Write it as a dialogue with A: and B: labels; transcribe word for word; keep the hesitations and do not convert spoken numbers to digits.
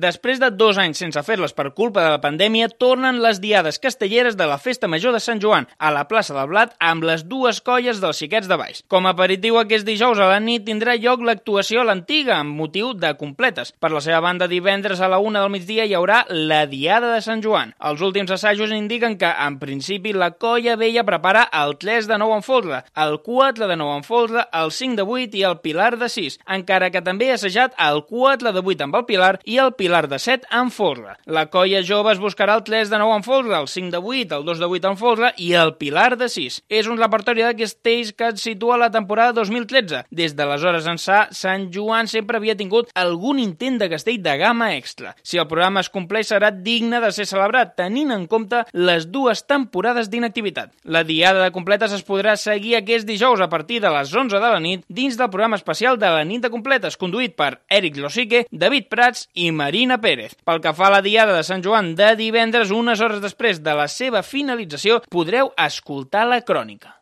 A: Després de dos anys sense fer-les per culpa de la pandèmia, tornen les diades castelleres de la Festa Major de Sant Joan a la plaça del Blat amb les dues colles dels Xiquets de Valls. Com a aperitiu aquest dijous a la nit tindrà lloc l'actuació a l'Antiga amb motiu de completes. Per la seva banda, divendres a la una del migdia hi haurà la Diada de Sant Joan. Els últims assajos indiquen que, en principi, la colla vella prepara el tres de nou en folre, el quatre de nou en folre, el cinc de vuit i el Pilar de sis, encara que també ha assajat el quatre de vuit amb el Pilar i el Pilar de set en folre. La colla jove es buscarà el tres de nou en folre, el cinc de vuit, el dos de vuit en folre i el Pilar de sis. És un repertori de castells que et situa la temporada dos mil tretze. Des d'aleshores ençà, Sant Joan sempre havia tingut algun intent de castell de gamma extra. Si el programa es compleix, serà digne de ser celebrat, tenint en compte les dues temporades d'inactivitat. La Diada de Completes es podrà seguir aquest dijous a partir de les onze de la nit dins del programa especial de la nit de Completes, conduït per Eric Losique, David Prats i Marina Pérez. Pel que fa a la Diada de Sant Joan de divendres, unes hores després de la seva finalització, podreu escoltar la crònica.